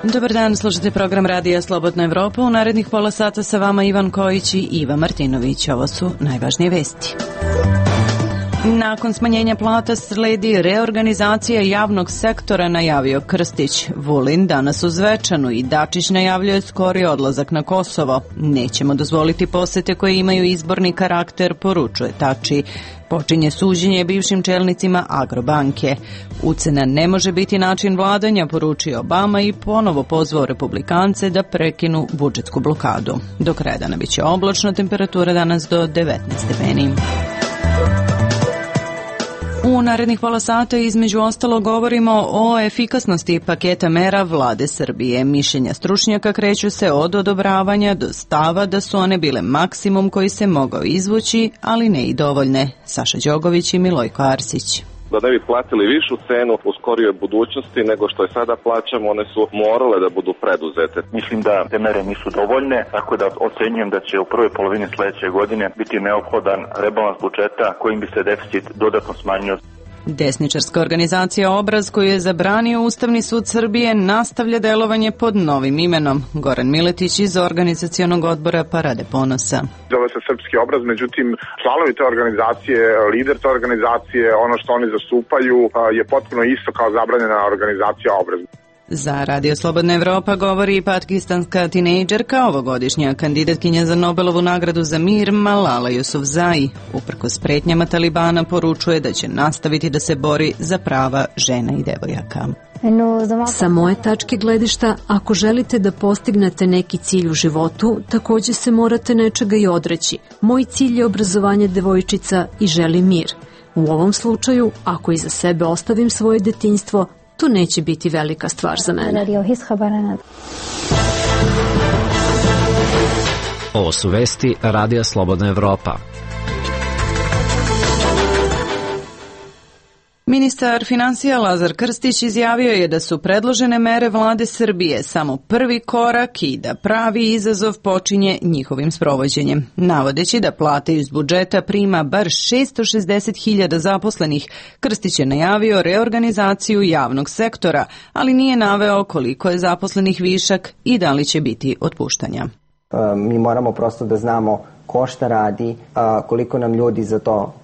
Dobar dan, slušate program Radija Slobodna Evropa. U narednih pola sata sa vama Ivan Kojić i Iva Martinović. Ovo su najvažnije vesti. Nakon smanjenja plata sledi reorganizacija javnog sektora, najavio Krstić. Vulin danas u Zvečanu i Dačić najavljuje skori odlazak na Kosovo. Nećemo dozvoliti posete koje imaju izborni karakter, poručuje Tači. Počinje suđenje bivšim čelnicima Agrobanke. Ucena ne može biti način vladanja, poručio Obama i ponovo pozvao republikance da prekinu budžetsku blokadu. Do kraja dana biće oblačno, temperatura danas do 19 stepeni. U narednih pola sata između ostalo govorimo o efikasnosti paketa mera vlade Srbije. Mišljenja stručnjaka kreću se od odobravanja do stava da su one bile maksimum koji se mogao izvući, ali ne i dovoljne. Saša Đogović i Milojko Arsić. Da ne bi platili višu cenu u skorijoj budućnosti nego što je sada plaćamo, one su morale da budu preduzete. Mislim da te mere nisu dovoljne, tako da ocenjujem da će u prvoj polovini sledeće godine biti neophodan rebalans budžeta kojim bi se deficit dodatno smanjio. Desničarska organizacija Obraz, koju je zabranio Ustavni sud Srbije, nastavlja delovanje pod novim imenom. Goran Miletić iz organizacionog odbora Parade ponosa. Zove se Srpski obraz, međutim članovi te organizacije, lider te organizacije, ono što oni zastupaju je potpuno isto kao zabranjena organizacija Obraz. Za Radio Slobodna Evropa govori i pakistanska tinejdžerka, ovogodišnja kandidatkinja za Nobelovu nagradu za mir Malala Yousafzai. Uprkos pretnjama Talibana poručuje da će nastaviti da se bori za prava žena i devojaka. Sa moje tačke gledišta, ako želite da postignete neki cilj u životu, takođe se morate nečega i odreći. Moj cilj je obrazovanje devojčica i želim mir. U ovom slučaju, ako iza sebe ostavim svoje detinjstvo, to neće biti velika stvar za mene. Ovo su vesti Radija Slobodna Evropa. Ministar finansija Lazar Krstić izjavio je da su predložene mere vlade Srbije samo prvi korak i da pravi izazov počinje njihovim sprovođenjem. Navodeći da plate iz budžeta prima bar 660.000 zaposlenih, Krstić je najavio reorganizaciju javnog sektora, ali nije naveo koliko je zaposlenih višak i da li će biti otpuštanja. Mi moramo prosto da znamo ko šta radi, koliko nam ljudi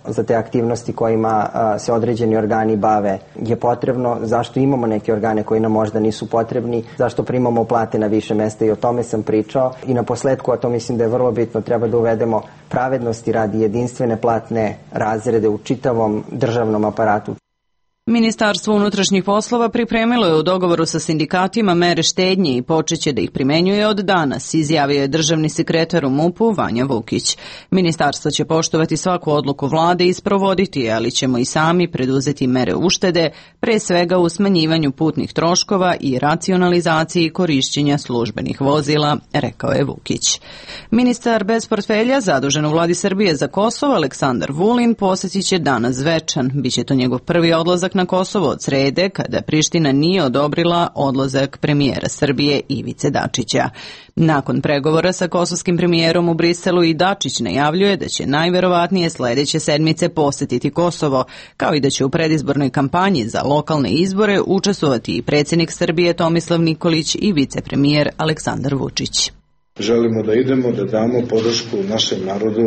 za te aktivnosti kojima se određeni organi bave je potrebno, zašto imamo neke organe koji nam možda nisu potrebni, zašto primamo plate na više mesta i o tome sam pričao. I na posledku, a to mislim da je vrlo bitno, treba da uvedemo pravednosti radi jedinstvene platne razrede u čitavom državnom aparatu. Ministarstvo unutrašnjih poslova pripremilo je u dogovoru sa sindikatima mere štednje i počeće da ih primenjuje od danas, izjavio je državni sekretar u MUP-u Vanja Vukić. Ministarstvo će poštovati svaku odluku vlade i sprovoditi, ali ćemo i sami preduzeti mere uštede, pre svega u smanjivanju putnih troškova i racionalizaciji korišćenja službenih vozila, rekao je Vukić. Ministar bez portfelja, zadužen u vladi Srbije za Kosovo, Aleksandar Vulin, posjetit će danas Zvečan. Biće to njegov prvi odlazak na Kosovo od srede, kada Priština nije odobrila odlazak premijera Srbije Ivice Dačića. Nakon pregovora sa kosovskim premijerom u Briselu i Dačić najavljuje da će najverovatnije sledeće sedmice posetiti Kosovo, kao i da će u predizbornoj kampanji za lokalne izbore učestvovati i predsjednik Srbije Tomislav Nikolić i vicepremijer Aleksandar Vučić. Želimo da idemo, da damo podršku našem narodu,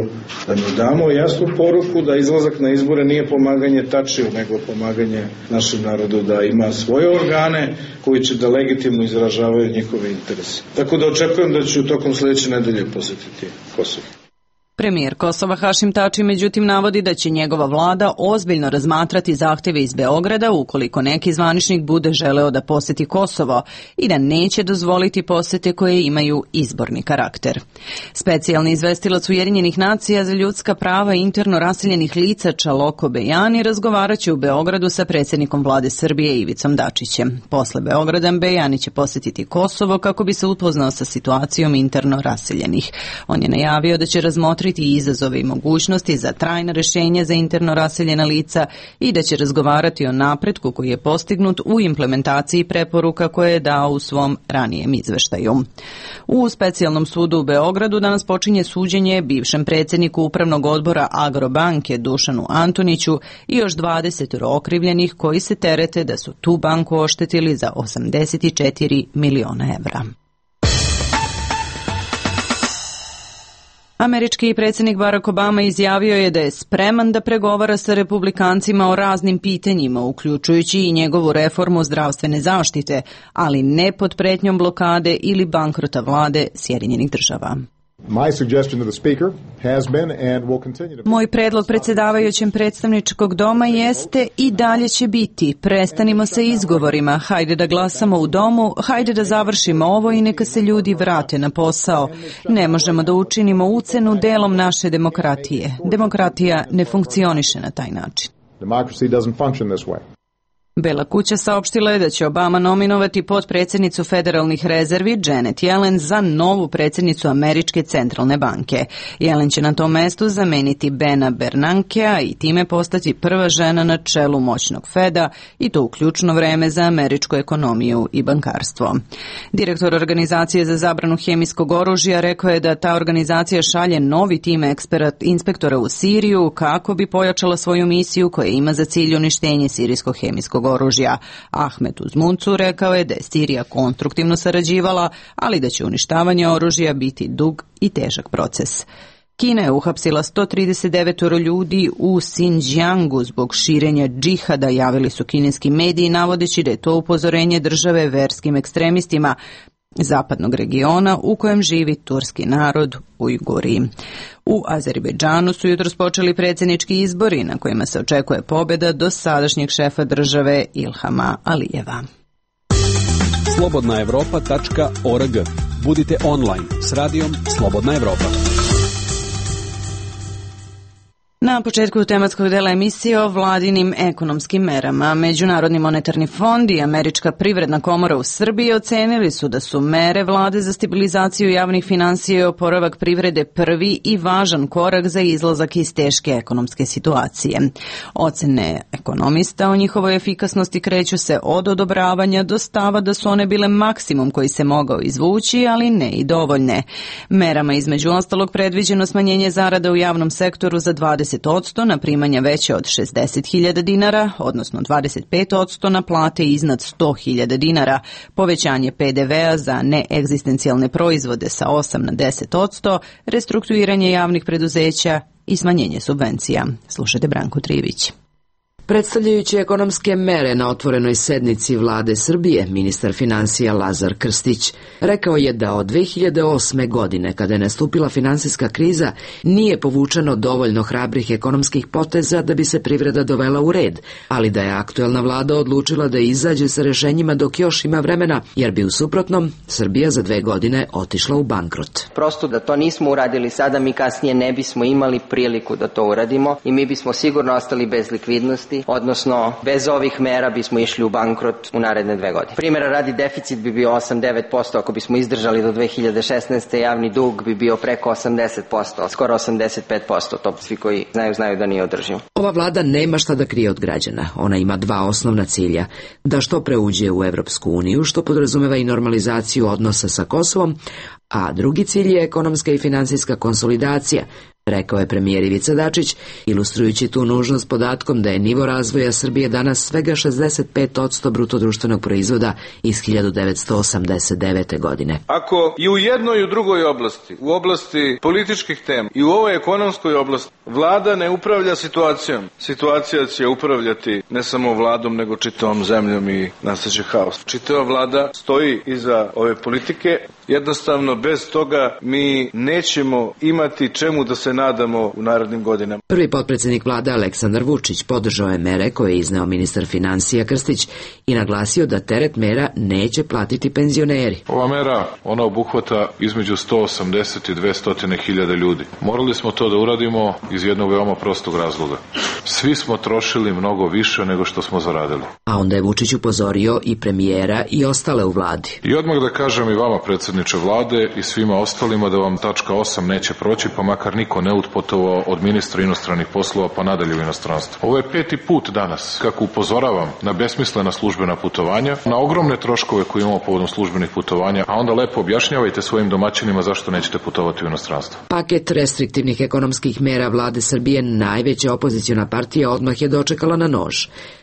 da mu damo jasnu poruku da izlazak na izbore nije pomaganje Tačiju, nego pomaganje našem narodu da ima svoje organe koji će da legitimno izražavaju njihove interese. Tako da očekujem da ću tokom sledeće nedelje posetiti Kosovo. Premijer Kosova Hašim Tači međutim navodi da će njegova vlada ozbiljno razmatrati zahtjeve iz Beograda ukoliko neki zvaničnik bude želeo da poseti Kosovo i da neće dozvoliti posete koje imaju izborni karakter. Specijalni izvestilac Ujedinjenih nacija za ljudska prava interno raseljenih lica Čaloko Bejani razgovaraće u Beogradu sa predsjednikom vlade Srbije Ivicom Dačićem. Posle Beograda Bejani će posetiti Kosovo kako bi se upoznao sa situacijom interno raseljenih. On je najavio da će razmotriti razmotriti izazove i mogućnosti za trajna rešenja za interno raseljena lica i da će razgovarati o napretku koji je postignut u implementaciji preporuka koje je dao u svom ranijem izveštaju. U specijalnom sudu u Beogradu danas počinje suđenje bivšem predsjedniku Upravnog odbora Agrobanke Dušanu Antoniću i još 20 okrivljenih koji se terete da su tu banku oštetili za 84 miliona evra. Američki predsjednik Barack Obama izjavio je da je spreman da pregovara sa republikancima o raznim pitanjima, uključujući i njegovu reformu zdravstvene zaštite, ali ne pod pretnjom blokade ili bankrota vlade Sjedinjenih Država. Moj predlog predsjedavajućem predstavničkog doma jeste i dalje će biti: prestanimo sa izgovorima, hajde da glasamo u domu, hajde da završimo ovo i neka se ljudi vrate na posao. Ne možemo da učinimo ucenu delom naše demokratije. Demokratija ne funkcioniše na taj način. Bela kuća saopštila je da će Obama nominovati potpredsjednicu federalnih rezervi Janet Yellen za novu predsjednicu Američke centralne banke. Yellen će na tom mestu zameniti Bena Bernankea i time postati prva žena na čelu moćnog Feda, i to u ključno vreme za američku ekonomiju i bankarstvo. Direktor organizacije za zabranu hemijskog oružja rekao je da ta organizacija šalje novi tim inspektora u Siriju kako bi pojačala svoju misiju koja ima za cilj uništenje sirijskog hemijskog oružja. Ahmet Uzmuncu rekao je da je Sirija konstruktivno sarađivala, ali da će uništavanje oružja biti dug i težak proces. Kina je uhapsila 139 ljudi u Xinjiangu zbog širenja džihada, javili su kineski mediji, navodeći da je to upozorenje države verskim ekstremistima zapadnog regiona u kojem živi turski narod Ujguri. U Azerbejdžanu su jutros počeli predsjednički izbori na kojima se očekuje pobjeda dosadašnjeg šefa države Ilhama Alijeva. Slobodnaevropa.org. Budite online s radijom Slobodna Evropa. Na početku tematskog dela emisije o vladinim ekonomskim merama. Međunarodni monetarni fond i Američka privredna komora u Srbiji ocenili su da su mere vlade za stabilizaciju javnih finansija i oporavak privrede prvi i važan korak za izlazak iz teške ekonomske situacije. Ocene ekonomista o njihovoj efikasnosti kreću se od odobravanja do stava da su one bile maksimum koji se mogao izvući, ali ne i dovoljne. Merama između ostalog predviđeno smanjenje zarada u javnom sektoru za 20% na primanja veće od 60.000 dinara, odnosno 25% na plate iznad 100.000 dinara, povećanje PDV-a za neegzistencijalne proizvode sa 8 na 10%, restrukturiranje javnih preduzeća i smanjenje subvencija. Slušajte Branku Trivić. Predstavljajući ekonomske mere na otvorenoj sednici vlade Srbije, ministar finansija Lazar Krstić rekao je da od 2008. godine, kada je nastupila finansijska kriza, nije povučeno dovoljno hrabrih ekonomskih poteza da bi se privreda dovela u red, ali da je aktuelna vlada odlučila da izađe sa rešenjima dok još ima vremena, jer bi u suprotnom Srbija za 2 godine otišla u bankrot. Prosto da to nismo uradili sada, mi kasnije ne bismo imali priliku da to uradimo i mi bismo sigurno ostali bez likvidnosti, odnosno bez ovih mera bismo išli u bankrot u naredne 2 godine. Primjera radi, deficit bi bio 8-9%, ako bismo izdržali do 2016. javni dug bi bio preko 80%, skoro 85%, to svi koji znaju da nije održivo. Ova vlada nema šta da krije od građana. Ona ima 2 osnovna cilja: da što pre uđe u Evropsku uniju, što podrazumeva i normalizaciju odnosa sa Kosovom, a drugi cilj je ekonomska i finansijska konsolidacija, rekao je premijer Ivica Dačić, ilustrujući tu nužnost podatkom da je nivo razvoja Srbije danas svega 65% bruto-društvenog proizvoda iz 1989. godine. Ako i u jednoj i u drugoj oblasti, u oblasti političkih tema i u ovoj ekonomskoj oblasti, vlada ne upravlja situacijom, situacija će upravljati ne samo vladom, nego čitavom zemljom i nastaće haos. Čitava vlada stoji iza ove politike. Jednostavno, bez toga mi nećemo imati čemu da se nadamo u narednim godinama. Prvi potpredsjednik vlade Aleksandar Vučić podržao je mere koje je izneo ministar finansija Krstić i naglasio da teret mera neće platiti penzioneri. Ova mera, ona obuhvata između 180 i 200 hiljada ljudi. Morali smo to da uradimo iz jednog veoma prostog razloga. Svi smo trošili mnogo više nego što smo zaradili. A onda je Vučić upozorio i premijera i ostale u vladi. I odmah da kažem i vama, predsjedniče predsjedniče vlade, i svima ostalima da vam tačka 8 neće proći, pa makar niko ne otputovao od ministra inostranih poslova pa nadalje u inostranstvo. Ovo je 5. put danas kako upozoravam na besmislena službena putovanja, na ogromne troškove koje imamo povodom službenih putovanja, a onda lepo objašnjavajte svojim domaćinima zašto nećete putovati u inostranstvo. Paket restriktivnih ekonomskih mera vlade Srbije, najveća opoziciona partija, odmah je dočekala na nož.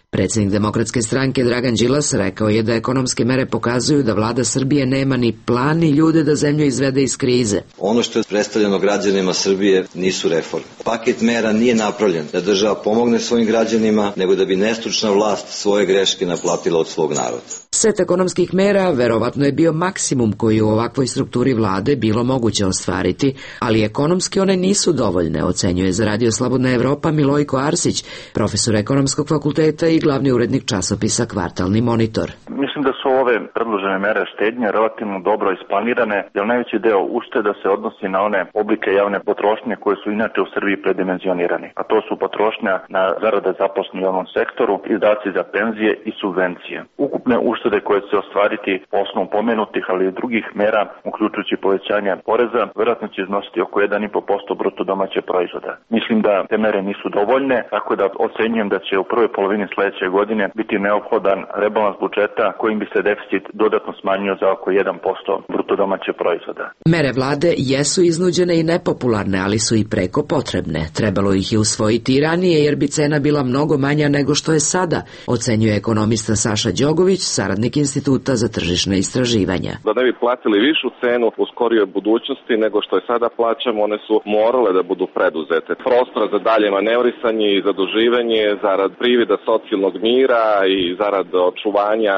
Predsjednik Demokratske stranke Dragan Đilas rekao je da ekonomske mere pokazuju da vlada Srbije nema ni plan ni ljude da zemlju izvede iz krize. Ono što je predstavljeno građanima Srbije nisu reforme. Paket mera nije napravljen da država pomogne svojim građanima, nego da bi nestručna vlast svoje greške naplatila od svog naroda. Set ekonomskih mera verovatno je bio maksimum koji u ovakvoj strukturi vlade bilo moguće ostvariti, ali ekonomski one nisu dovoljne, ocenjuje za Radio Slobodna Evropa Milojko Arsić, profesor ekonomskog fakulteta i glavni urednik časopisa Kvartalni monitor. Mislim da su ove predložene mere štednje relativno dobro isplanirane, jer najveći deo ušteda se odnosi na one oblike javne potrošnje koje su inače u Srbiji predimenzionirani, a to su potrošnja na zarade zaposlenih u javnom sektoru, izdaci za penzije i subvencije. Ukupne uštede koje će se ostvariti po osnovu pomenutih, ali i drugih mera, uključujući povećanje poreza, verovatno će iznositi oko 1,5% bruto domaćeg proizvoda. Mislim da te mere nisu dovoljne, tako da ocenjujem da će u prvoj polovini sledeće godine biti neophodan rebalans budžeta kojim bi se deficit dodatno smanjio za oko 1% bruto domaćeg proizvoda. Mere vlade jesu iznuđene i nepopularne, ali su i preko potrebne. Trebalo ih je usvojiti i ranije, jer bi cena bila mnogo manja nego što je sada, ocenjuje ekonomista Saša Đogović, saradnik Instituta za tržišne istraživanja. Da ne bi platili višu cenu u skorijoj budućnosti nego što je sada plaćamo, one su morale da budu preduzete. Prostora za dalje manevrisanje i zaduživanje zarad privida socijalnog mira i zarad očuvanja,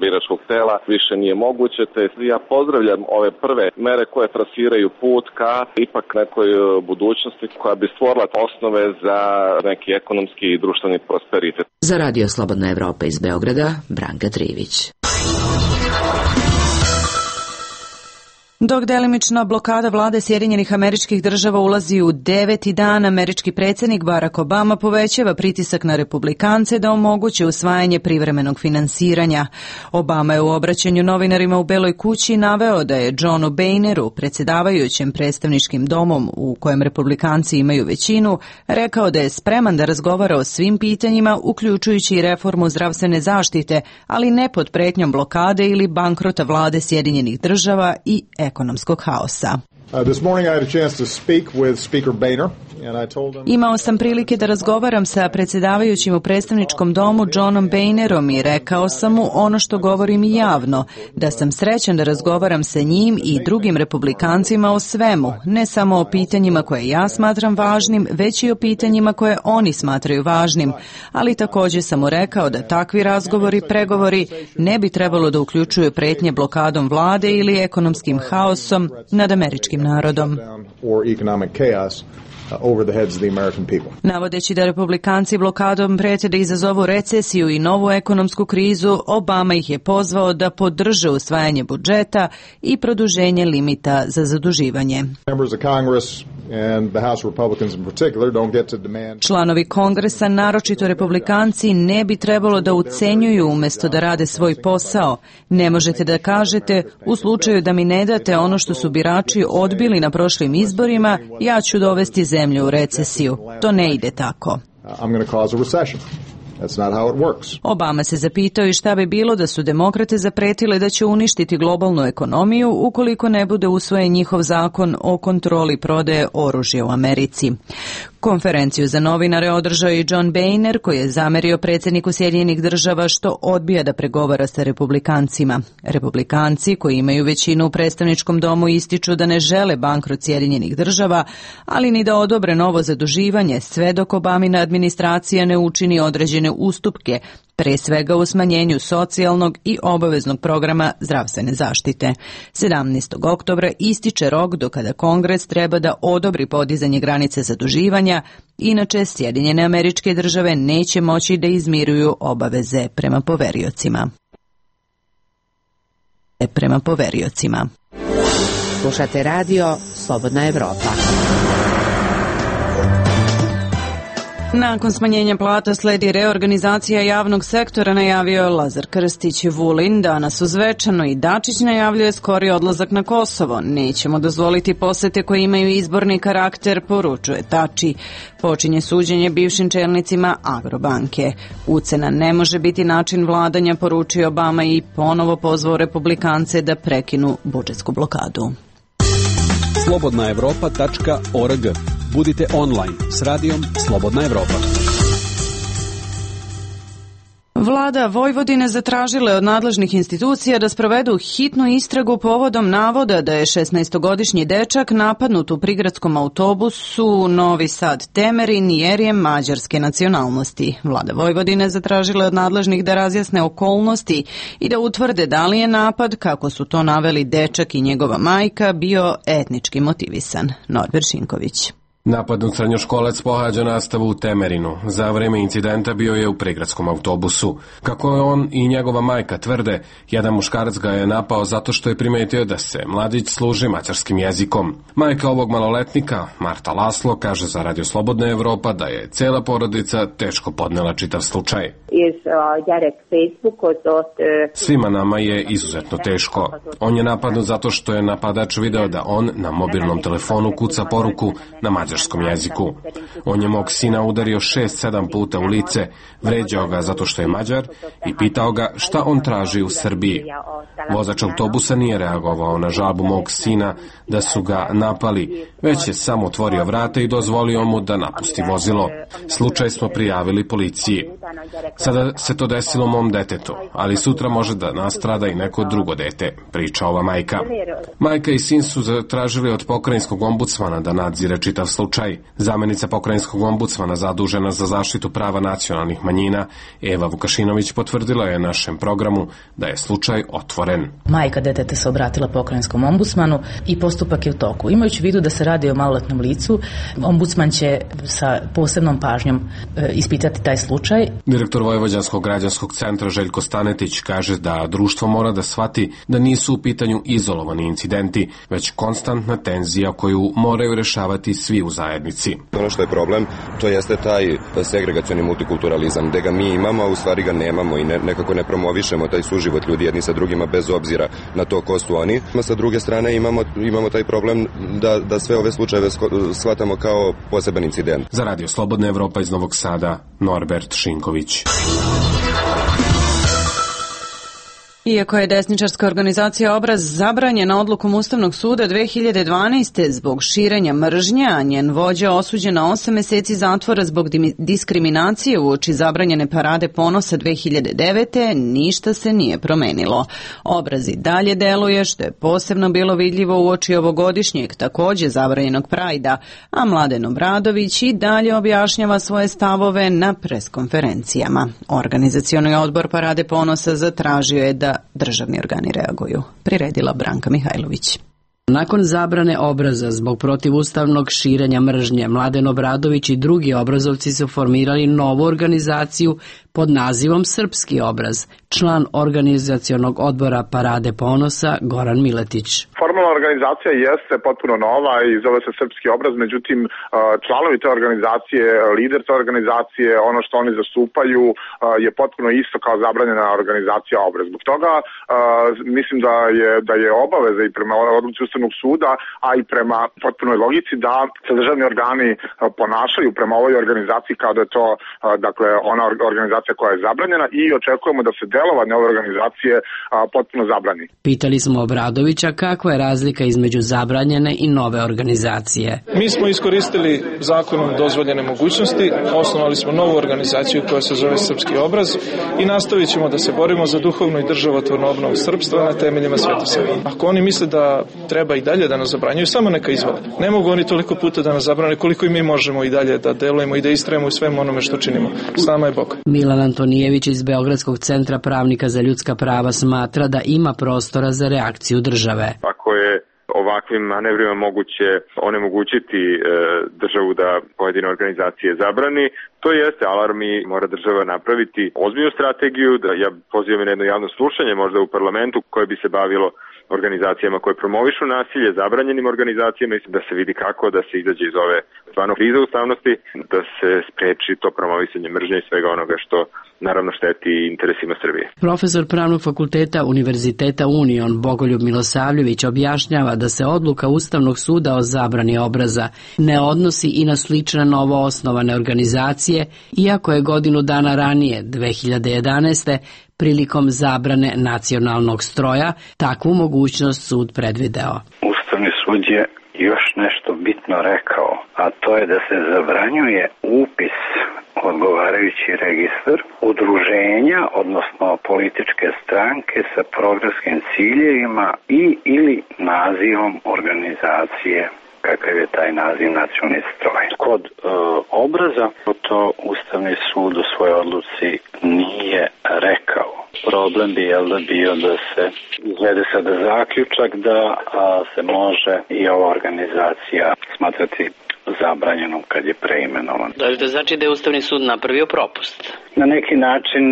biračkog tela više nije moguće. Te ja pozdravljam ove prve mere koje trasiraju put ka ipak nekoj budućnosti koja bi stvorila osnove za neki ekonomski i društveni prosperitet. Za Radio Slobodna Evropa iz Beograda, Branka Trivić. Dok delimična blokada vlade Sjedinjenih Američkih Država ulazi u 9. dan, američki predsjednik Barack Obama povećava pritisak na republikance da omoguće usvajanje privremenog finansiranja. Obama je u obraćanju novinarima u Beloj kući naveo da je Johnu Boehneru, predsjedavajućem predstavničkim domom u kojem republikanci imaju većinu, rekao da je spreman da razgovara o svim pitanjima, uključujući i reformu zdravstvene zaštite, ali ne pod pretnjom blokade ili bankrota vlade Sjedinjenih Država i ekonomskog haosa. Imao sam prilike da razgovaram sa predsjedavajućim u predstavničkom domu Johnom Boehnerom i rekao sam mu ono što govorim i javno, da sam srećan da razgovaram sa njim i drugim republikancima o svemu, ne samo o pitanjima koje ja smatram važnim, već i o pitanjima koje oni smatraju važnim, ali također sam mu rekao da takvi razgovori, pregovori ne bi trebalo da uključuju pretnje blokadom vlade ili ekonomskim haosom nad američkim narodom. Navodeći da republikanci blokadom prete da izazovu recesiju i novu ekonomsku krizu, Obama ih je pozvao da podrže usvajanje budžeta i produženje limita za zaduživanje. Članovi Kongresa, naročito republikanci, ne bi trebalo da ucenjuju umjesto da rade svoj posao. Ne možete da kažete, u slučaju da mi ne date ono što su birači odbili na prošlim izborima, ja ću dovesti zemlju u recesiju. To ne ide tako. Obama se zapitao i šta bi bilo da su demokrate zapretile da će uništiti globalnu ekonomiju ukoliko ne bude usvojen njihov zakon o kontroli prodaje oružja u Americi. Konferenciju za novinare održao i John Boehner, koji je zamerio predsjedniku Sjedinjenih Država što odbija da pregovara sa republikancima. Republikanci, koji imaju većinu u predstavničkom domu, ističu da ne žele bankrot Sjedinjenih Država, ali ni da odobre novo zaduživanje, sve dok Obamina administracija ne učini određene ustupke, pre svega u smanjenju socijalnog i obaveznog programa zdravstvene zaštite. 17. oktobra ističe rok do kada Kongres treba da odobri podizanje granice zaduživanja, inače Sjedinjene Američke Države neće moći da izmiruju obaveze prema poveriocima. Slušate radio Slobodna Evropa. Nakon smanjenja plata sledi reorganizacija javnog sektora, najavio je Lazar Krstić. Vulin danas u Zvečanu i Dačić najavljuje skori odlazak na Kosovo. Nećemo dozvoliti posete koje imaju izborni karakter, poručuje Tači. Počinje suđenje bivšim čelnicima Agrobanke. Ucena ne može biti način vladanja, poručio Obama i ponovo pozvao republikance da prekinu budžetsku blokadu. slobodnaevropa.org. Budite online s radijom Slobodna Evropa. Vlada Vojvodine zatražila je od nadležnih institucija da sprovedu hitnu istragu povodom navoda da je 16-godišnji dečak napadnut u prigradskom autobusu Novi Sad-Temerin jer je mađarske nacionalnosti. Vlada Vojvodine zatražila je od nadležnih da razjasne okolnosti i da utvrde da li je napad, kako su to naveli dečak i njegova majka, bio etnički motivisan. Norbert Šinković. Napadnut srednjoškolac pohađa nastavu u Temerinu. Za vreme incidenta bio je u prigradskom autobusu. Kako je on i njegova majka tvrde, jedan muškarac ga je napao zato što je primetio da se mladić služi mađarskim jezikom. Majka ovog maloletnika, Marta Laslo, kaže za Radio Slobodna Evropa da je cela porodica teško podnela čitav slučaj. Svima nama je izuzetno teško. On je napadnut zato što je napadač video da on na mobilnom telefonu kuca poruku na mađarskom jeziku. On je mog sina udario 6-7 puta u lice, vređao ga zato što je Mađar i pitao ga šta on traži u Srbiji. Vozač autobusa nije reagovao na žalbu mog sina da su ga napali, već je samo otvorio vrata i dozvolio mu da napusti vozilo. Slučaj smo prijavili policiji. Sada se to desilo mom detetu, ali sutra može da nastrada i neko drugo dete, priča ova majka. Majka i sin su zatražili od pokrajinskog ombudsmana da nadzire čitav slučaj. Zamenica pokrajinskog ombudsmana zadužena za zaštitu prava nacionalnih manjina, Eva Vukašinović, potvrdila je našem programu da je slučaj otvoren. Majka deteta se obratila pokrajinskom ombudsmanu i postupak je u toku. Imajući u vidu da se radi o maloletnom licu, ombudsman će sa posebnom pažnjom ispitati taj slučaj. Direktor Vojvođanskog građanskog centra Željko Stanetić kaže da društvo mora da shvati da nisu u pitanju izolovani incidenti, već konstantna tenzija koju moraju rešavati svi u zajednici. Ono što je problem, to jeste taj segregacioni multikulturalizam, gde ga mi imamo, a u stvari ga nemamo i nekako ne promovišemo taj suživot ljudi jedni sa drugima bez obzira na to ko su oni. Sa druge strane imamo taj problem da sve ove slučajeve shvatamo kao poseban incident. Za Radio Slobodna Evropa iz Novog Sada, Norbert Šinković. Iako je desničarska organizacija Obraz zabranjena odlukom Ustavnog suda 2012. zbog širenja mržnje, a njen vođa osuđen na 8 meseci zatvora zbog diskriminacije uoči zabranjene parade ponosa 2009. ništa se nije promenilo. Obraz i dalje deluje, što je posebno bilo vidljivo uoči ovogodišnjeg takođe zabranjenog Prajda, a Mladen Obradović i dalje objašnjava svoje stavove na preskonferencijama. Organizacioni odbor parade ponosa zatražio je da državni organi reaguju. Priredila Branka Mihajlović. Nakon zabrane Obraza zbog protivustavnog širenja mržnje, Mladen Obradović i drugi obrazovci su formirali novu organizaciju pod nazivom Srpski obraz. Član organizacionog odbora Parade ponosa Goran Miletić. Formalna organizacija jeste potpuno nova i zove se Srpski obraz, međutim članovi te organizacije, lider te organizacije, ono što oni zastupaju je potpuno isto kao zabranjena organizacija Obraz. Zbog toga mislim da je obaveza i prema odluci Ustavnog suda, a i prema potpunoj logici da se državni organi ponašaju prema ovoj organizaciji kao da je to dakle ona organizacija koja je zabranjena i očekujemo da se delovanje ove organizacije potpuno zabrani. Pitali smo Obradovića kakva je razlika između zabranjene i nove organizacije. Mi smo iskoristili zakonom dozvoljene mogućnosti, osnovali smo novu organizaciju koja se zove Srpski obraz i nastavit ćemo da se borimo za duhovnu i državotvornu obnovu srpstva na temeljima Svete Save. Ako oni misle da treba i dalje da nas zabranjuju, samo neka izvole. Ne mogu oni toliko puta da nas zabrane koliko i mi možemo i dalje da delujemo i da istrajemo u svemu onome što činimo. S nama je Bog. Milan Antonijević iz Beogradskog centra pravnika za ljudska prava smatra da ima prostora za reakciju države. Ako je ovakvim manevrima moguće onemogućiti državu da pojedine organizacije zabrani, to jeste alarm i mora država napraviti ozbiljnu strategiju. Ja pozivam na jedno javno slušanje možda u parlamentu koje bi se bavilo organizacijama koje promovišu nasilje, zabranjenim organizacijama, da se vidi kako da se izađe iz ove stvarno krize ustavnosti, da se spreči to promovisanje mržnje i svega onoga što naravno šteti interesima Srbije. Profesor Pravnog fakulteta Univerziteta Union Bogoljub Milosavljević objašnjava da se odluka Ustavnog suda o zabrani obraza ne odnosi i na slične novoosnovane organizacije, iako je godinu dana ranije, 2011. prilikom zabrane nacionalnog stroja takvu mogućnost sud predvideo. Ustavni sud je još nešto bitno rekao, a to je da se zabranjuje upis odgovarajući registar udruženja, odnosno političke stranke sa programskim ciljevima i ili nazivom organizacije kakav je taj naziv nacionalni stroj. Kod obraza to Ustavni sud u svojoj odluci nije rekao. Problem bi bio da se izvede sada zaključak da se može i ova organizacija smatrati zabranjenom kad je preimenovan. Da li to znači da je Ustavni sud napravio propust? Na neki način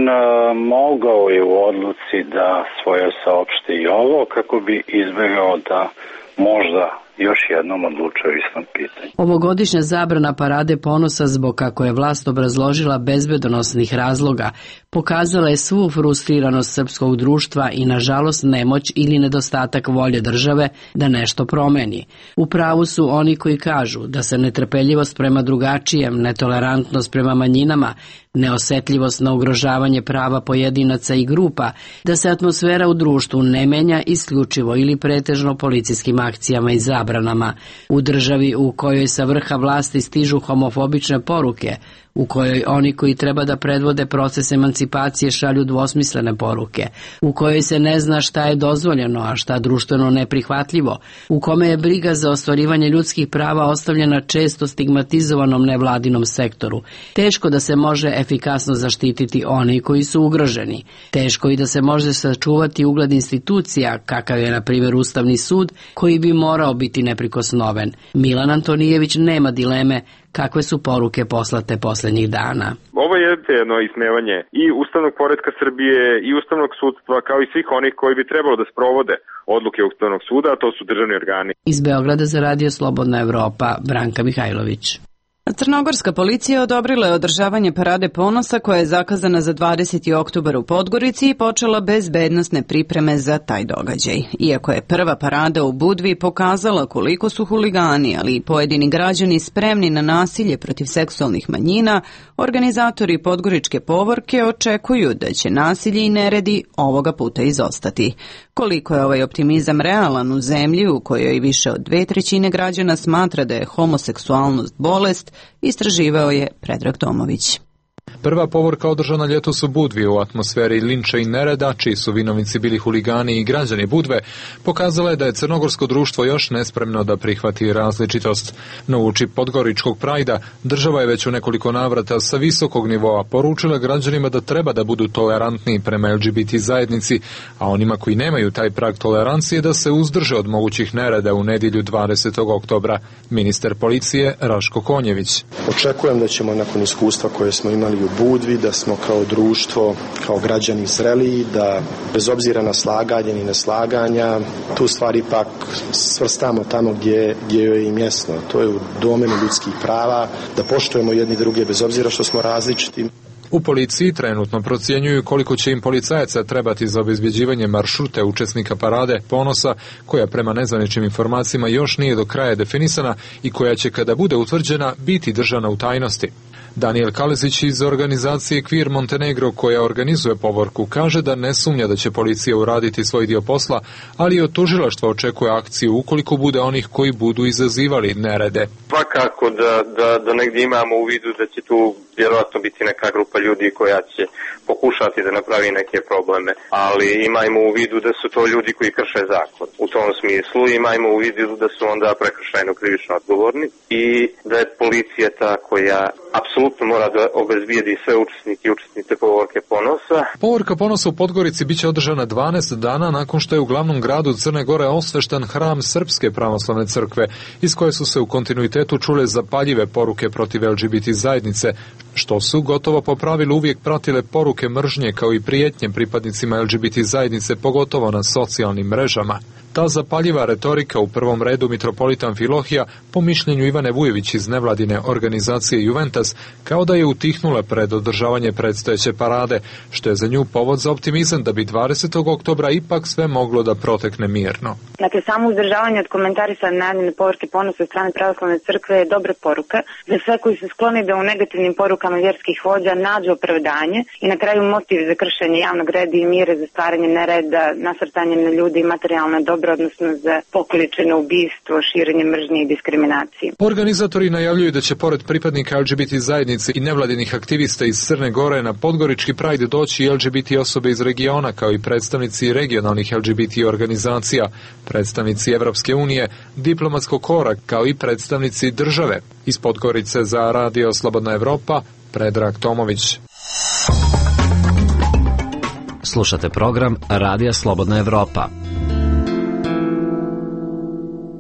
mogao je u odluci da svoje saopšti i ovo kako bi izbegao da možda još jednom odlučuje istom pitanju. Ovogodišnja zabrana Parade ponosa zbog, kako je vlast obrazložila, bezbedonosnih razloga, pokazala je svu frustriranost srpskog društva i nažalost nemoć ili nedostatak volje države da nešto promeni. U pravu su oni koji kažu da se netrpeljivost prema drugačijem, netolerantnost prema manjinama, neosetljivost na ugrožavanje prava pojedinaca i grupa, da se atmosfera u društvu ne menja isključivo ili pretežno policijskim akcijama i zabranama. U državi u kojoj sa vrha vlasti stižu homofobične poruke, u kojoj oni koji treba da predvode proces emancipacije šalju dvosmislene poruke, u kojoj se ne zna šta je dozvoljeno, a šta društveno neprihvatljivo, u kome je briga za ostvarivanje ljudskih prava ostavljena često stigmatizovanom nevladinom sektoru. Teško da se može efikasno zaštititi oni koji su ugroženi. Teško i da se može sačuvati ugled institucija, kakav je na primjer Ustavni sud, koji bi morao biti neprikosnoven. Milan Antonijević nema dileme kakve su poruke poslate poslednjih dana. Ovo je jedno ismevanje i ustavnog poretka Srbije i ustavnog sudstva, kao i svih onih koji bi trebalo da sprovode odluke Ustavnog suda, a to su državni organi. Iz Beograda za Radio Slobodna Evropa, Branka Mihajlović. Crnogorska policija odobrila je održavanje Parade ponosa koja je zakazana za 20. oktobar u Podgorici i počela bezbednosne pripreme za taj događaj. Iako je prva parada u Budvi pokazala koliko su huligani, ali i pojedini građani spremni na nasilje protiv seksualnih manjina, organizatori Podgoričke povorke očekuju da će nasilje i neredi ovoga puta izostati. Koliko je ovaj optimizam realan u zemlji u kojoj više od 2/3 građana smatra da je homoseksualnost bolest, istraživao je Predrag Tomović. Prva povorka održana ljetos u Budvi u atmosferi linča i nereda, čiji su vinovnici bili huligani i građani Budve, pokazala je da je crnogorsko društvo još nespremno da prihvati različitost. No uoči Podgoričkog prajda, država je već u nekoliko navrata sa visokog nivoa poručila građanima da treba da budu tolerantni prema LGBT zajednici, a onima koji nemaju taj prag tolerancije da se uzdrže od mogućih nereda u nedjelju 20. oktobra. Ministar policije Raško Konjević. Očekujem da ćemo nakon iskustva koje smo imali u Budvi, da smo kao društvo, kao građani zreliji, da bez obzira na slaganje i neslaganja, tu stvari ipak svrstamo tamo gdje joj je i mjesto. To je u domenu ljudskih prava, da poštujemo jedni druge bez obzira što smo različiti. U policiji trenutno procjenjuju koliko će im policajaca trebati za obezbjeđivanje maršruta učesnika Parade ponosa, koja prema nezvaničnim informacijama još nije do kraja definisana i koja će, kada bude utvrđena, biti držana u tajnosti. Daniel Kalezić iz organizacije Queer Montenegro, koja organizuje povorku, kaže da ne sumnja da će policija uraditi svoj dio posla, ali od tužilaštva očekuje akciju ukoliko bude onih koji budu izazivali nerede. Svakako da negdje imamo u vidu da će tu vjerojatno biti neka grupa ljudi koja će pokušati da napravi neke probleme, ali imajmo u vidu da su to ljudi koji krše zakon. U tom smislu imajmo u vidu da su onda prekršajno krivično odgovorni i da je policija ta koja apsolutno apsolutno mora da obezbijedi sve učesnike i učesnice Povorke ponosa. Povorka ponosa u Podgorici biće održana 12 dana nakon što je u glavnom gradu Crne Gore osvešten hram Srpske pravoslavne crkve, iz koje su se u kontinuitetu čule zapaljive poruke protiv LGBT zajednice, što su gotovo po pravilu uvijek pratile poruke mržnje kao i prijetnje pripadnicima LGBT zajednice, pogotovo na socijalnim mrežama. Ta zapaljiva retorika u prvom redu mitropolita Amfilohija, po mišljenju Ivane Vujević iz nevladine organizacije Juventus, kao da je utihnula pred održavanje predstojeće parade, što je za nju povod za optimizam da bi 20. oktobra ipak sve moglo da protekne mirno. Dakle, samo uzdržavanje od komentarisane najavljene Povorke ponosa od strane pravoslavne crkve je dobra poruka za sve koji su skloni da u negativnim porukama vjerskih vođa nađu opravdanje i na kraju motiv za kršenje javnog reda i mira, za stvaranje nereda, nasrtanje na ljude i materijalne dobro, odnosno za pokoličeno ubistvo, širenje mržnje i diskriminacije. Organizatori najavljuju da će pored pripadnika LGBT zajednice i nevladinih aktivista iz Crne Gore na Podgorički Pride doći i LGBT osobe iz regiona, kao i predstavnici regionalnih LGBT organizacija, predstavnici Evropske unije, diplomatskog kora, kao i predstavnici države. Iz Podgorice za Radio Slobodna Evropa, Predrag Tomović. Slušate program Radija Slobodna Evropa.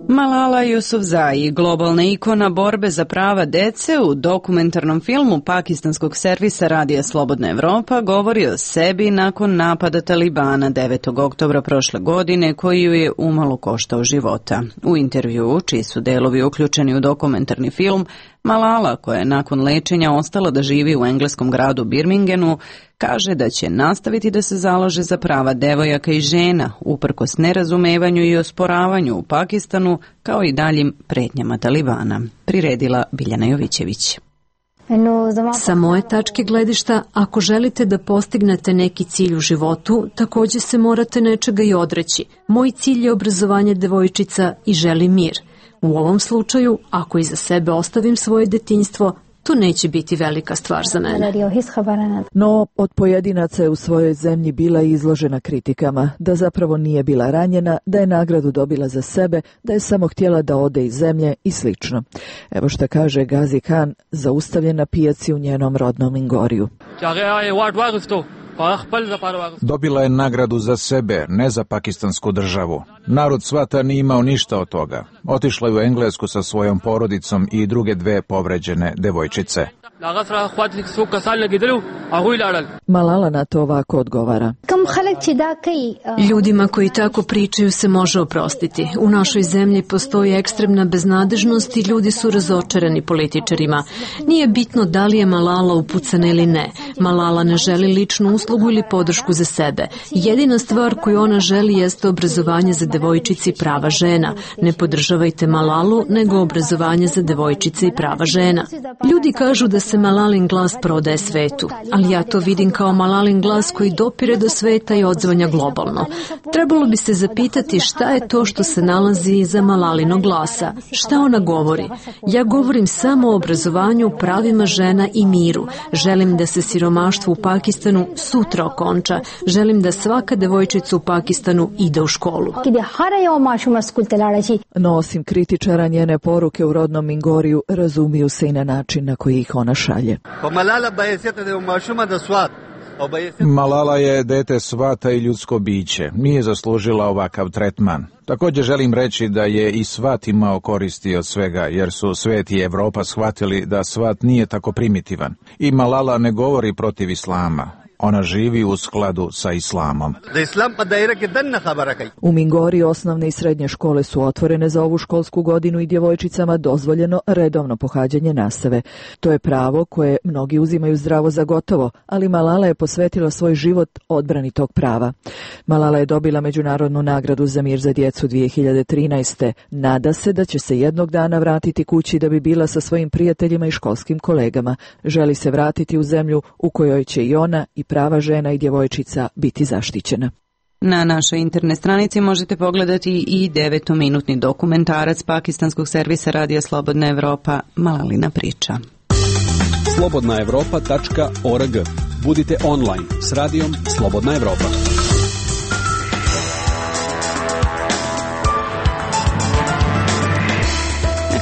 Malala Yousafzai, globalna ikona borbe za prava dece, u dokumentarnom filmu pakistanskog servisa Radija Slobodna Evropa govori o sebi nakon napada Talibana 9. oktobra prošle godine, koji ju je umalo koštao života. U intervjuu, čiji su delovi uključeni u dokumentarni film, Malala, koja je nakon lečenja ostala da živi u engleskom gradu Birminghamu, kaže da će nastaviti da se zalaže za prava devojaka i žena, uprkos nerazumevanju i osporavanju u Pakistanu, kao i daljim pretnjama Talibana. Priredila Biljana Jovićević. Sa moje tačke gledišta, ako želite da postignete neki cilj u životu, također se morate nečega i odreći. Moj cilj je obrazovanje devojčica i želim mir. U ovom slučaju, ako iza sebe ostavim svoje detinjstvo, to neće biti velika stvar za mene. No, od pojedinaca je u svojoj zemlji bila izložena kritikama, da zapravo nije bila ranjena, da je nagradu dobila za sebe, da je samo htjela da ode iz zemlje i slično. Evo šta kaže Gazi Khan, zaustavljen na pijaci u njenom rodnom Lingoriju. Dobila je nagradu za sebe, ne za pakistansku državu. Narod svata nije imao ništa od toga. Otišla je u Englesku sa svojom porodicom i druge dve povređene devojčice. Malala na to ovako odgovara. Ljudima koji tako pričaju se može oprostiti. U našoj zemlji postoji ekstremna beznadežnost i ljudi su razočarani političarima. Nije bitno da li je Malala upucana ili ne. Malala ne želi ličnu uslugu ili podršku za sebe. Jedina stvar koju ona želi jeste obrazovanje za devojčice i prava žena. Ne podržavajte Malalu, nego obrazovanje za devojčice i prava žena. Ljudi kažu da se Malalin glas prodaje svetu, ali ja to vidim kao Malalin glas koji dopire do sveta i odzvanja globalno. Trebalo bi se zapitati šta je to što se nalazi iza Malalinog glasa. Šta ona govori? Ja govorim samo o obrazovanju, pravima žena i miru. Želim da se siromaštvo u Pakistanu sutra okonča. Želim da svaka devojčica u Pakistanu ide u školu. No, osim kritičara, njene poruke u rodnom Mingoriju razumiju se i na način na koji ih ona šalje. Malala je dete svata i ljudsko biće. Nije zaslužila ovakav tretman. Također želim reći da je i svat imao koristi od svega, jer su svet i Evropa shvatili da svat nije tako primitivan. I Malala ne govori protiv islama. Ona živi u skladu sa islamom. U Mingori osnovne i srednje škole su otvorene za ovu školsku godinu i djevojčicama dozvoljeno redovno pohađanje nastave. To je pravo koje mnogi uzimaju zdravo za gotovo, ali Malala je posvetila svoj život odbrani tog prava. Malala je dobila međunarodnu nagradu za mir za djecu 2013. Nada se da će se jednog dana vratiti kući da bi bila sa svojim prijateljima i školskim kolegama. Želi se vratiti u zemlju u kojoj će i ona i prava žena i djevojčica biti zaštićena. Na našoj internet stranici možete pogledati i 9-minutni dokumentarac pakistanskog servisa Radija Slobodna Evropa Malalina priča. slobodnaevropa.org. Budite online s radijom Slobodna Evropa.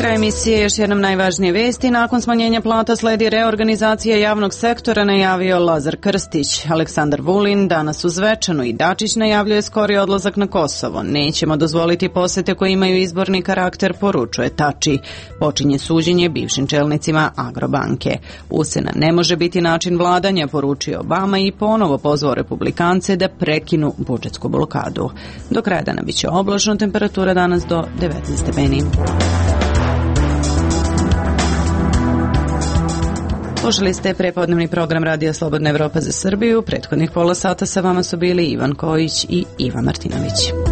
Kraj emisije još jednom najvažnije vesti. Nakon smanjenja plata sledi reorganizacija javnog sektora, najavio Lazar Krstić. Aleksandar Vulin danas u Zvečanu i Dačić najavljuje skori odlazak na Kosovo. Nećemo dozvoliti posete koje imaju izborni karakter, poručuje Tači. Počinje suđenje bivšim čelnicima Agrobanke. Ucena ne može biti način vladanja, poručio Obama i ponovo pozvao republikance da prekinu budžetsku blokadu. Do kraja dana biće oblačno, temperatura danas do 19 stepeni. Slušali ste prepodnevni program Radija Slobodna Evropa za Srbiju. Prethodnih pola sata sa vama su bili Ivan Kojić i Iva Martinović.